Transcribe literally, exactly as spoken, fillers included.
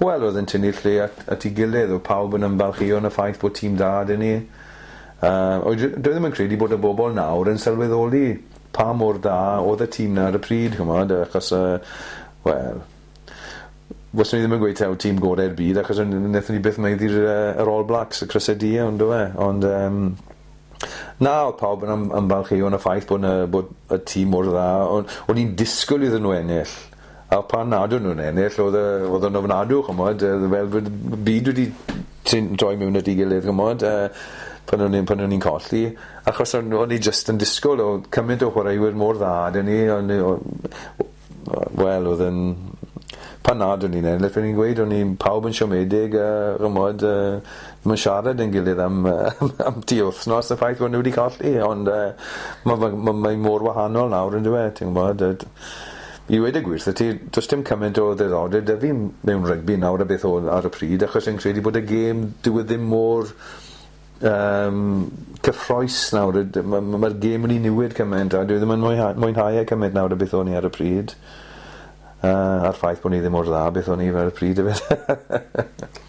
Wel, oedd yn tynnu lle at, at ei gilydd, oedd pawb yn ymfalchïo yn y ffaith bod tîm da 'da ni. Uh, dwi ddim yn credu bod y bobl nawr yn sylweddoli pa mor da oedd y tîm 'na ar y pryd, ch'mod, achos, uh, wel, fyswn i ddim yn gweud taw tîm gorau'r byd, achos wnaethon ni byth maeddu'r uh, yr All Blacks, y crysau du, ond do fe? Ond, um, na, oedd pawb yn ymfalchïo yn y ffaith bod, na, bod y tîm mor dda. O'n, o'n i'n disgwyl iddyn nhw ennill. A pan nad o'n nhw'n ennill, oedd oedd yn ofnadw, ch'mod, fel bod y byd wedi troi mewn at ei gilydd, ch'mod, pan o'n i'n pan o'n i'n colli. Achos o'n, o'n i jyst yn disgwyl, o cymaint o chwaraewyr mor dda 'dyn ni, o'n wel, oedd yn... Pan nad o'n i'n ennill, o'n i'n gweud, o'n i'n pawb yn siomedig, a ch'mod, uh, ddim yn siarad yn gilydd am, am, am tu wythnos y ffaith bod nhw wedi colli, ond uh, mae ma, ma, mae mor wahanol nawr yn dweud, ti'n gwybod. I weud y gwir wrtho ti, does dim cymaint o ddiddordeb 'da fi mewn rygbi nawr a beth oedd ar y pryd, achos fi'n credu bod y gêm, dyw e ddim mor um, cyffroes nawr. Mae'r ma, ma gêm wedi newid cymaint a dwi ddim yn mwynhau, mwynhau e cymaint nawr a beth o'n i ar y pryd. Uh, a'r ffaith bod ni ddim mor dda beth o'n i ar y pryd hefyd.